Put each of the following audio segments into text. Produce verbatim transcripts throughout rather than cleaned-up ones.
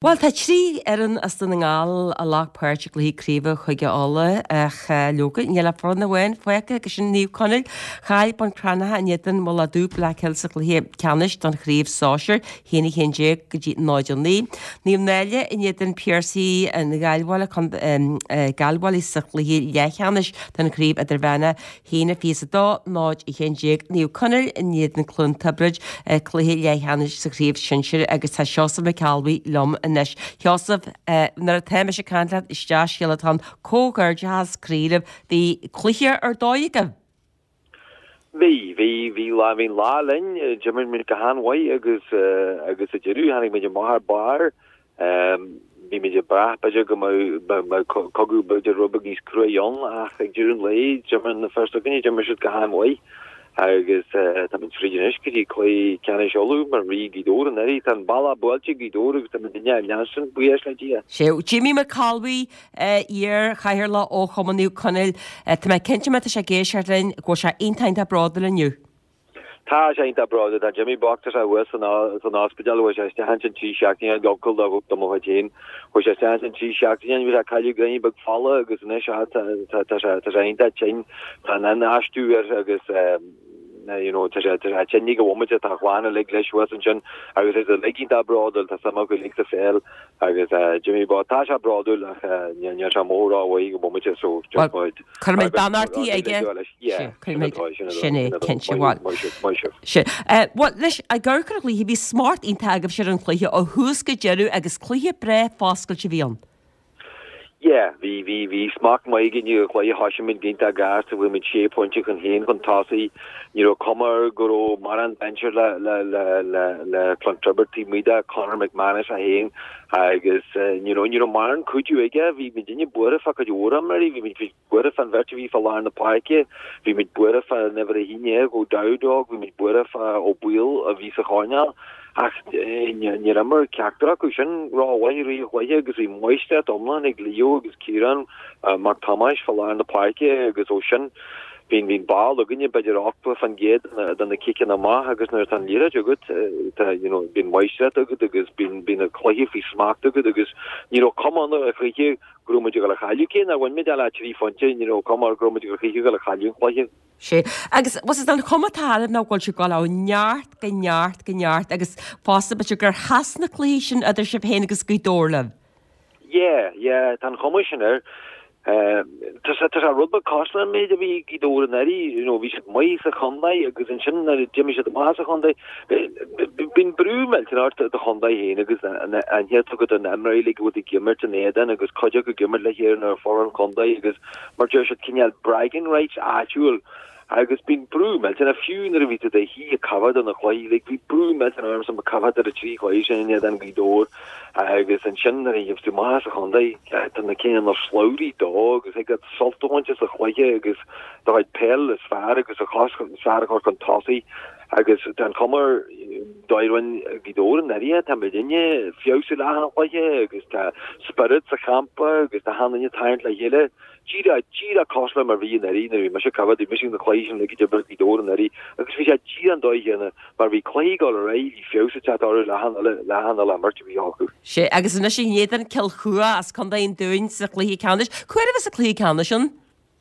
Bhuel, tá trí fhoireann as Dún na nGall a ghlac páirt i gcluichí craoibhe Chúige Uladh ach leoga níl ach foireann amháin fágtha agus sin Naomh Conaill. Chaill Bun Cranncha in éadan Mullach Dubh Blackhills sa chluiche ceannais don chraobh sóisir, a haon a haon déag go dtí náid a naoi. Naomh Náille in éadan Piarsaigh an Ghaillmhaigh, Gaillmhaigh sa chluiche leathcheannais don chraobh idirmheánach, a haon a fiche is a dó, náid a haon déag. Naomh Conaill in éadan Cluain Tiobraid, cluiche leathcheannais sa chraobh shinsir agus tá Seosamh Mac Ceallbhuí liom anois. Sheosamh, nuair atá mise ag caint leat is dea-scéal atá ann, comhghairdeachas croí libh, bhí cluiche ar dóigh agaibh! Bhí, bhí, bhí lá, bhí an lá linn, d'imir muid go han-mhaith agus agus sa deireadh tháinig muid amach ar barr. Bhí muid ag brath b'fhéidir go mbeadh cogadh b'fhéidir rud beag níos cruaidh ann ach ag deireadh an lae d'imir na fir s'againne, d'imir siad go han-mhaith. Agus táimid fríd anois go dtí cluiche ceannais Uladh mar rí Ghaoth Dobhair anuraidh. Tá an bealach buailte ag Gaoth Dobhair agus táimid ag leanstan, buíochas le Dia. Sea, Jimmy Mac Ceallbhuí, iar-chathaoirleach ó Chumann Naomh Conaill, tá mé cinnte má tá sé ag éisteacht linn go bhfuil sé iontach iontach bródúil inniu. Tá sé iontach bródúil. Tá Jimmy bocht, tá sé thuas san ospidéal, chuaigh sé isteach ansin trí seachtaine, uncail do mo chuid féin. Chuaigh sé isteach ansin trí seachtaine, bhí sé ag cailleadh greim beag fola agus anois tá sé tá sé iontach tinn, tá an infheistiú air agus you know tá sé tá sé tinn ag an bhomaite, tá a chlann uilig leis thuas ansin agus is uilig iontach bródúil, tá suim acu uilig sa pheil agus Jimmy bocht, tá sé bródúil ach níl sé mór rómhaith ag an bhomaite so just Well, cuirfimid beannachtaí aige. Yeah, sin é, cinnte, bhuel. Sin. Bhuel, leis, ag amharc ar an chluiche, bhí smacht iontach agaibhse ar an chluiche ó thús go deireadh agus cluiche breá foscailte a bhí ann. Yeah, bhí, bhí, bhí smacht maith againn ar an chluiche, thosaigh muid go hiontach gasta, bhí muid sé phointe chun cinn chun tosaigh, ní raibh cuma air go raibh mórán dainséar le, le, le, le, le Clontibret taobh amuigh de Conor McManus é féin agus ní raibh, ní raibh mórán cuidiú aige, bhí muidinne buartha fá cuid mhór imreoirí, bhí muid, bhí buartha fán bheirt a bhí fá lár na páirce, bhí muid buartha fá an uimhir a haon déag O'Dowd óg, bhí muid buartha fá Ó Baoill a bhí sa choirnéal ach níor imir ceachtar acu sin rómhaith i rith an chluiche agus bhí máistreacht iomlán ag Leo agus Ciarán Mac Tomáis fá lár na páirce agus ó sin bhí bhí an ball againne b'fhéidir ochtó fan gcéad de na ciceanna amach agus nuair atá an liathróid agat tá you know bíonn máistreacht agat agus bíonn bíonn an cluiche faoi smacht agat agus ní raibh cuma ann ar chluiche go raibh muid ag dul a chailleadh, cé nár bhain muid ach le trí phointe, ní raibh cuma air go raibh muid ag dul a chailleadh an chluiche. Sea, agus bhfuil an chuma atá oraibh ná go bhfuil sibh ag dul ó neart go neart go neart agus fosta b'fhéidir gur sheas na cluichí sin idir sibh féin agus Gaoth Dobhair libh. Yeah, yeah, tá an chuma sin air. Tá sé tá sé rud beag cosúil leis an méid a bhí ag Gaoth Dobhair anuraidh, you know, bhí siad maith sa chontae agus ansin nuair a d'imigh siad amach as an chontae, bíonn brú millteanach ort do chontae féin agus an aithne atá agat ar na himreoirí uilig a bhfuil ag imirt in éadan agus cuid acu ag imirt le chéile ar fhoireann an chontae agus mar deir siad cineál bragging rights áitiúil agus bíonn brú millteanach fiú nuair a bhí tú i do shuí ag coimhéad ar na cluichí like bhí brú millteanach ormsa mo coimhéad ar na trí chluiche sin in éadan Ghaoth Dobhair agus ansin nuair a gheibh tú amach as an chontae tá na cineál na slabhraí dó agus thig leat sult a bhaint as an chluiche agus do chuid peil is fearr agus a chos is fearr a chur chun tosaigh agus tá an chuma ar dóigh a rinne Gaoth Dobhair anuraidh tá muidinne feabhsú le achan chluiche agus tá spiorad sa champa agus tá achan duine ag tarraingt le chéile. Díreach, díreach cosúil le mar bhí anuraidh nuair a bhí mise ag coimhéad, bhí mise ag na cluichí sin uilig a d'imir Gaoth Dobhair anuraidh agus bhí sé díreach an dóigh chéanna mar bhí cluichí ag dul ar aghaidh, bhí feabhas ag teacht orthu le achan uile, le achan uile imirt a bhí acu. Sea, agus anois in éadan Cill Chua as Contae an Dúin sa chluiche ceannais. Cá huair a bheas an cluiche ceannais ann?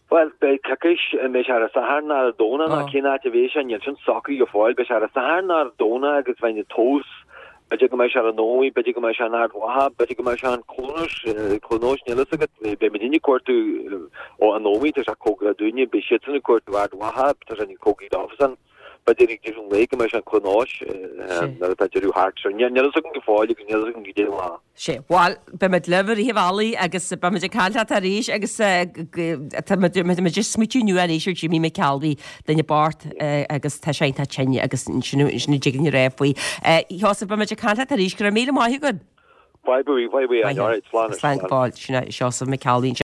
Bhuel, beidh coicís, an mbeidh sé ar an Satharn ná ar an Domhnach ná cén áit a bheidh sé, níl sin socraithe go fóill, beidh sé ar an Satharn ná ar an Domhnach agus bheidh na tomhas B'fhéidir go mbeidh sé ar an Ómaigh, b'fhéidir go mbeidh sé in Ard Mhacha, b'fhéidir go mbeidh sé in Clonus, Cluain Eois, níl fhios agat. Beidh muidinne ag cuartú ó an Ómaigh, tá sé cóngarach dúinne, beidh siadsan ag cuartú Ard Mhacha, tá sé níos cóngaraí dóibhsean. B'fhéidir ag deireadh an lae go mbeidh sé in Cluain Eois nuair atá deireadh thart. So níl fhios agam go fóill agus níl fhios agam goidé an lá. Sea, bhuel, beimid libh i rith an bhealaigh agus beimid ag caint leat arís agus tá muid ag smaoitiú inniu arís ar Jimmy McAlvey, duine bocht agus tá sé iontach tinn agus sin a dtig linn a rá faoi. A Sheosaimh, beimid ag caint leat arís, go raibh míle maith agat. Bye bye, bye bye, alright, slán. Slán go fóill, sin é Seosamh McAlvey.